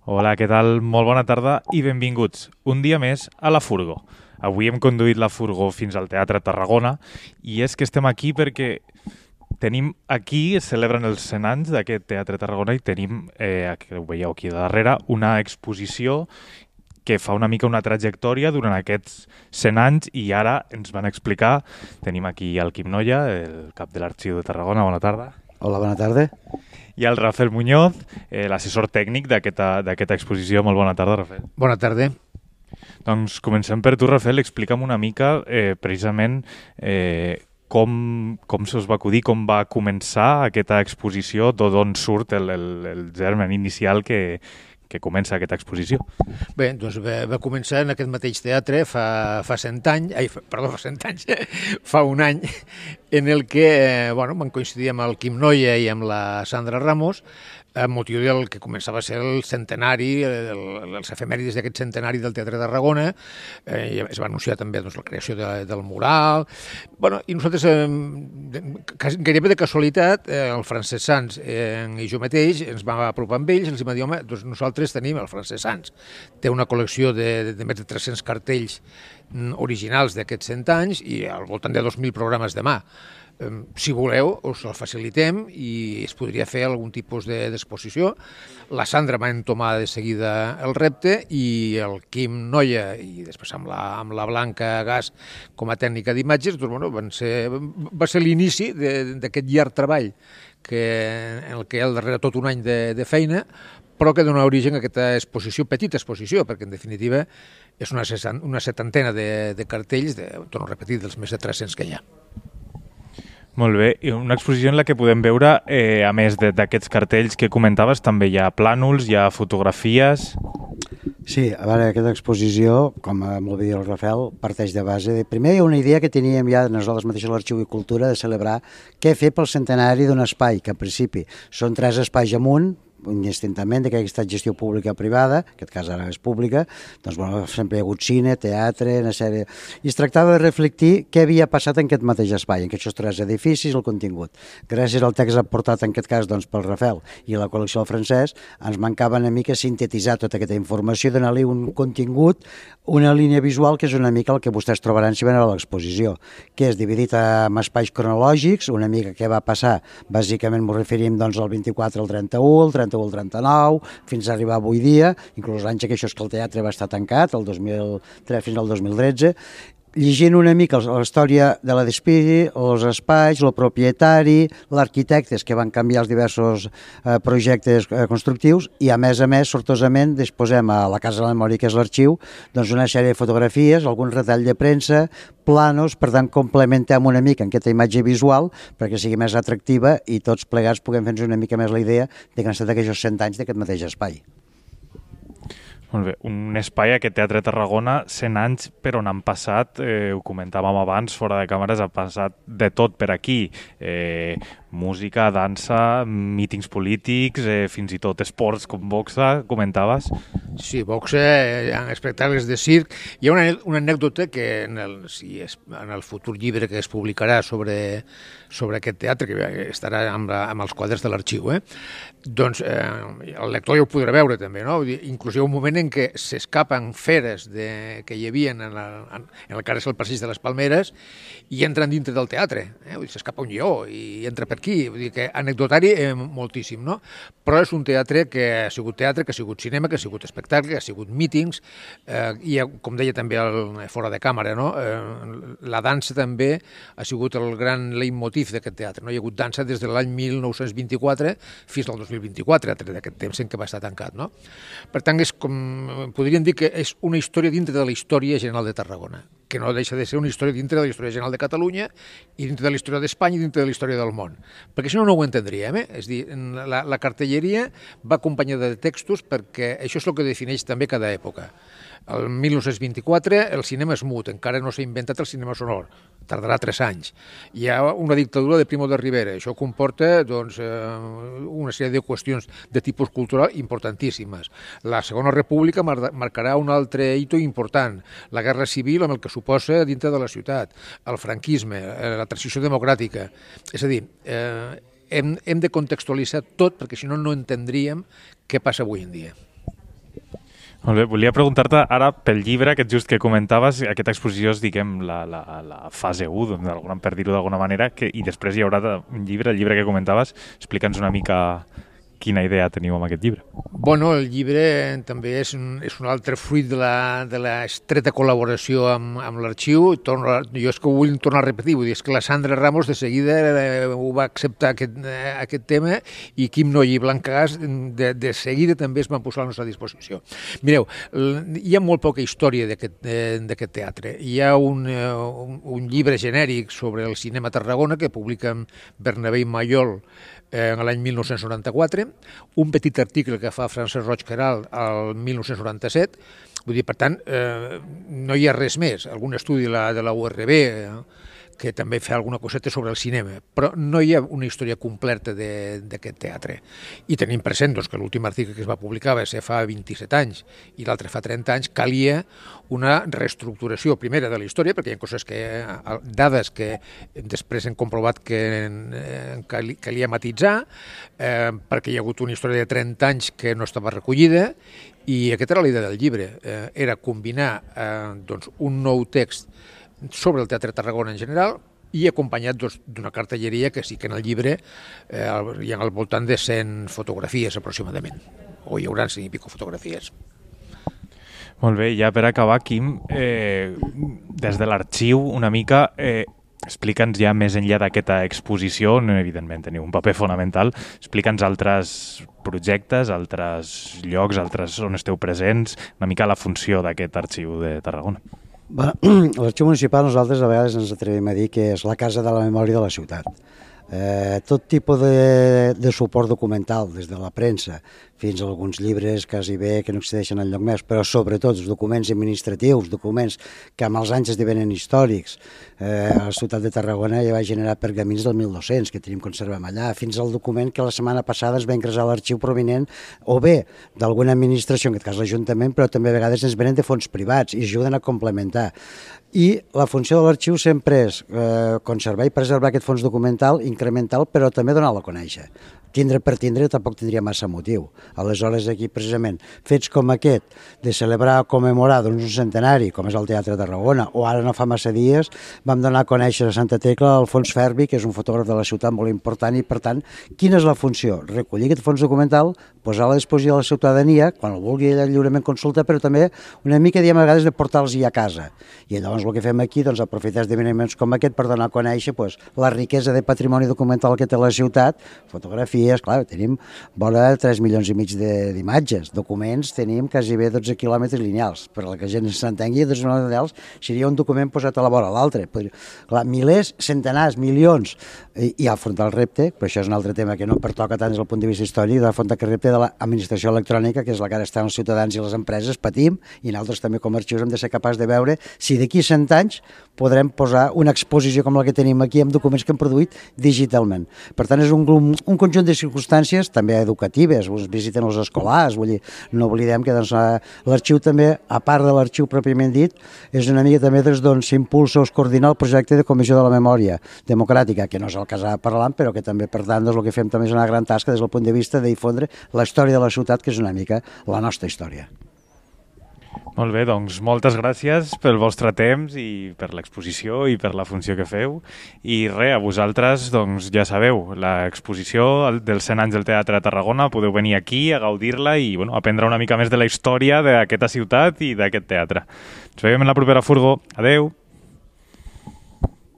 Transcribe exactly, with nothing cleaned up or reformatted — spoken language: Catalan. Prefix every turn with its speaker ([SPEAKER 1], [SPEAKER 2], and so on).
[SPEAKER 1] Hola, què tal? Molt bona tarda i benvinguts un dia més a La Furgo. Avui hem conduït la Furgo fins al Teatre Tarragona i és que estem aquí perquè tenim aquí, es celebren els cent anys d'aquest Teatre Tarragona i tenim, eh, que ho veieu aquí darrere, una exposició que fa una mica una trajectòria durant aquests cent anys i ara ens van explicar, tenim aquí el Quim Noia, el cap de l'Arxiu de Tarragona, bona tarda.
[SPEAKER 2] Hola, bona tarda.
[SPEAKER 1] I el Rafael Muñoz, eh, l'assessor tècnic d'aquesta exposició. Molt bona tarda, Rafael.
[SPEAKER 2] Bona tarda.
[SPEAKER 1] Doncs comencem per tu, Rafael. Explica'm una mica eh, precisament eh, com, com se us va acudir, com va començar aquesta exposició, d'on surt el, el, el germen inicial que, que comença aquesta exposició.
[SPEAKER 2] Bé, doncs va, va començar en aquest mateix teatre fa, fa cent anys, ai, fa, perdó, fa cent anys, fa un any, en el que, eh, bueno, vam coincidir amb el Quim Noia i amb la Sandra Ramos, amb motiu del que començava a ser el centenari, el, els efemèrides d'aquest centenari del Teatre de Tarragona, eh, es va anunciar també doncs, la creació de, del mural. Bueno, i nosaltres, eh, gairebé de casualitat, eh, el Francesc Sans eh, i jo mateix ens vam apropar amb ells i els vam dir, home, doncs nosaltres tenim el Francesc Sans. Té una col·lecció de, de, de més de tres-cents cartells originals d'aquests cent anys i al voltant de dos mil programes de mà. Si voleu, us el facilitem i es podria fer algun tipus d'exposició. La Sandra va entomar de seguida el repte i el Quim Noia, i després amb la, amb la Blanca Gas com a tècnica d'imatges, doncs, bueno, van ser, va ser l'inici d'aquest llarg treball que, en el que hi ha darrere tot un any de, de feina, però que dona origen a aquesta exposició, petita exposició, perquè en definitiva és una, una setantena de, de cartells, de, torno a repetir, dels més de tres-cents que hi ha.
[SPEAKER 1] Molt bé, i una exposició en la que podem veure, eh, a més d'aquests cartells que comentaves, també hi ha plànols, hi ha fotografies...
[SPEAKER 3] Sí, a veure, aquesta exposició, com molt bé dir el Rafael, parteix de base. De, primer hi ha una idea que teníem ja nosaltres mateixos a l'Arxiu i Cultura de celebrar què fer pel centenari d'un espai, que en principi són tres espais amunt, indistintament d'aquesta gestió pública o privada, en aquest cas ara és pública, doncs bueno, sempre hi ha hagut cine, teatre, una sèrie... I es tractava de reflectir què havia passat en aquest mateix espai, en aquests tres edificis, el contingut. Gràcies al text aportat en aquest cas doncs, pel Rafael i la col·lecció del Francesc, ens mancava una mica sintetitzar tota aquesta informació i donar-li un contingut, una línia visual que és una mica el que vostès trobaran si venen a l'exposició, que és dividit en espais cronològics, una mica què va passar, bàsicament m'ho referim doncs, al vint-i-quatre, al trenta-u, al trenta el trenta-nou, fins a arribar avui dia, inclús l'any que això és que el teatre va estar tancat, el dos mil tres fins al dos mil tretze, llegint una mica la història de la Despiri, els espais, el propietari, l'arquitectes que van canviar els diversos eh, projectes eh, constructius i a més a més, sortosament, disposem a la Casa de la Memòria, que és l'arxiu, doncs una sèrie de fotografies, algun retall de premsa, planos, per tant complementem una mica en aquesta imatge visual perquè sigui més atractiva i tots plegats puguem fer-nos una mica més la idea de que han estat aquests cent anys d'aquest mateix espai.
[SPEAKER 1] Molt bé, un espai, aquest Teatre Tarragona, cent anys per on han passat, eh, ho comentàvem abans, fora de càmeres, ha passat de tot per aquí. Eh, música, dansa, mítings polítics, eh, fins i tot esports com boxa, comentaves?
[SPEAKER 2] Sí, boxa, eh, espectacles de circ. Hi ha una, una anècdota que en el, si és, en el futur llibre que es publicarà sobre, sobre aquest teatre, que estarà amb, la, amb els quadres de l'arxiu, eh? doncs eh, el lector ja ho podrà veure també, no? Inclús hi ha un moment en què s'escapen feres de, que hi havia en el, en, en el que ara és el passeig de les Palmeres i entren dintre del teatre, eh? S'escapa un lleó i entra per aquí, vull dir que anecdotari eh, moltíssim, no? Però és un teatre que ha sigut teatre, que ha sigut cinema, que ha sigut espectacle, que ha sigut mítings, eh, i com deia també el, fora de càmera, no? Eh, la dansa també ha sigut el gran leitmotiv d'aquest teatre, no? Hi ha hagut dansa des de l'any mil nou-cents vint-i-quatre fins al dos mil vint-i-quatre, d'aquest temps en què va estar tancat, no? Per tant, és com, podríem dir que és una història dintre de la història general de Tarragona, que no deixa de ser una història dintre de la història general de Catalunya i dintre de la història d'Espanya i dintre de la història del món. Perquè si no, no ho entendríem, eh? És dir, la, la cartelleria va acompanyada de textos perquè això és el que defineix també cada època. El mil nou-cents vint-i-quatre el cinema és mut, encara no s'ha inventat el cinema sonor, tardarà tres anys. Hi ha una dictadura de Primo de Rivera, això comporta doncs, una sèrie de qüestions de tipus cultural importantíssimes. La Segona República marcarà un altre hito important, la Guerra Civil amb el que suposa dintre de la ciutat, el franquisme, la transició democràtica. És a dir, eh, hem, hem de contextualitzar tot perquè si no no entendríem què passa avui en dia.
[SPEAKER 1] Molt bé, volia preguntar-te ara pel llibre aquest just que comentaves, aquesta exposició és, diguem, la, la, la fase u, d'alguna, per dir-ho d'alguna manera, que, i després hi haurà un llibre, el llibre que comentaves. Explica'ns una mica quina idea teniu amb aquest llibre.
[SPEAKER 2] Bueno, el llibre també és un, és un altre fruit de la, de la estreta col·laboració amb, amb l'arxiu. Torno, jo és que ho vull tornar a repetir, vull dir, és que la Sandra Ramos de seguida eh, ho va acceptar aquest, eh, aquest tema, i Quim Noll i Blanca Gas de, de seguida també es van posar a la nostra disposició. Mireu, hi ha molt poca història d'aquest eh, teatre. Hi ha un, eh, un, un llibre genèric sobre el cinema a Tarragona que publiquen Bernabé i Mayol eh, en l'any mil nou-cents noranta-quatre, un petit article que fa Francesc Roig Queralt al mil nou-cents noranta-set. Vull dir, per tant, eh, no hi ha res més. Algun estudi de la, de la U R B eh, que també fa alguna coseta sobre el cinema, però no hi ha una història completa d'aquest teatre. I tenim present doncs, que l'últim article que es va publicar va ser fa vint-i-set anys i l'altre fa trenta anys, calia una reestructuració primera de la història, perquè hi ha coses que, dades que després hem comprovat que calia matitzar, eh, perquè hi ha hagut una història de trenta anys que no estava recollida, i aquesta era la idea del llibre, eh, era combinar eh, doncs, un nou text sobre el Teatre Tarragona en general i acompanyat doncs, d'una cartelleria que sí que en el llibre eh, hi ha al voltant de cent fotografies aproximadament, o hi haurà cent i pico fotografies.
[SPEAKER 1] Molt bé, ja per acabar, Quim, eh, des de l'arxiu una mica, eh, explica'ns ja més enllà d'aquesta exposició, on evidentment teniu un paper fonamental, explica'ns altres projectes, altres llocs, altres on esteu presents, una mica la funció d'aquest arxiu de Tarragona.
[SPEAKER 3] L'arxiu municipal nosaltres a vegades ens atrevim a dir que és la casa de la memòria de la ciutat. Eh, tot tipus de, de suport documental, des de la premsa fins a alguns llibres quasi bé que no accedeixen enlloc més, però sobretot els documents administratius, documents que amb els anys esdevenen històrics. Eh, a la ciutat de Tarragona ja va generar pergamins del mil dos-cents que tenim conservem allà, fins al document que la setmana passada es va ingressar a l'arxiu provinent o bé d'alguna administració, en aquest cas l'Ajuntament, però també a vegades ens venen de fons privats i ajuden a complementar. I la funció de l'arxiu sempre és eh, conservar i preservar aquest fons documental, incremental, però també donar-lo a conèixer. Tindre per tindre tampoc tindria massa motiu. Aleshores, aquí, precisament, fets com aquest, de celebrar o commemorar doncs, un centenari, com és el Teatre de Tarragona, o ara no fa massa dies, vam donar a conèixer a Santa Tecla Alfons Ferbi, que és un fotògraf de la ciutat molt important, i, per tant, quina és la funció? Recollir aquest fons documental, posar a la disposició de la ciutadania, quan el vulgui ella lliurement consulta, però també una mica, diem, a vegades de portar-los-hi a casa. I llavors el que fem aquí, doncs, aprofitar esdeveniments com aquest per donar a conèixer doncs, la riquesa de patrimoni documental que té la ciutat, fotografies, clar, tenim vora tres milions i mig d'imatges, documents tenim quasi bé dotze quilòmetres lineals, per a la que la gent s'entengui, dotze quilòmetres lineals seria un document posat a la vora l'altre. Clar, milers, centenars, milions, i, i afrontar el repte, però això és un altre tema que no pertoca tant des del punt de vista històric, d'afrontar el repte de l'administració electrònica, que és la que ara estan els ciutadans i les empreses, patim, i nosaltres també com a arxius hem de ser capaços de veure si d'aquí cent anys podrem posar una exposició com la que tenim aquí amb documents que hem produït digitalment. Per tant, és un, un conjunt de circumstàncies també educatives, us visiten els escolars, vull dir, no oblidem que doncs, l'arxiu també, a part de l'arxiu pròpiament dit, és una mica també doncs, s'impulsa o es coordina el projecte de Comissió de la Memòria Democràtica, que no és el que s'ha parlant, però que també, per tant, doncs, el que fem també és una gran tasca des del punt de vista de difondre la història de la ciutat, que és una mica la nostra història.
[SPEAKER 1] Molt bé, doncs moltes gràcies pel vostre temps i per l'exposició i per la funció que feu. I res, a vosaltres, doncs ja sabeu, l'exposició dels cent anys del Teatre de Tarragona, podeu venir aquí a gaudir-la i bueno, aprendre una mica més de la història d'aquesta ciutat i d'aquest teatre. Ens veiem en la propera furgo. Adeu!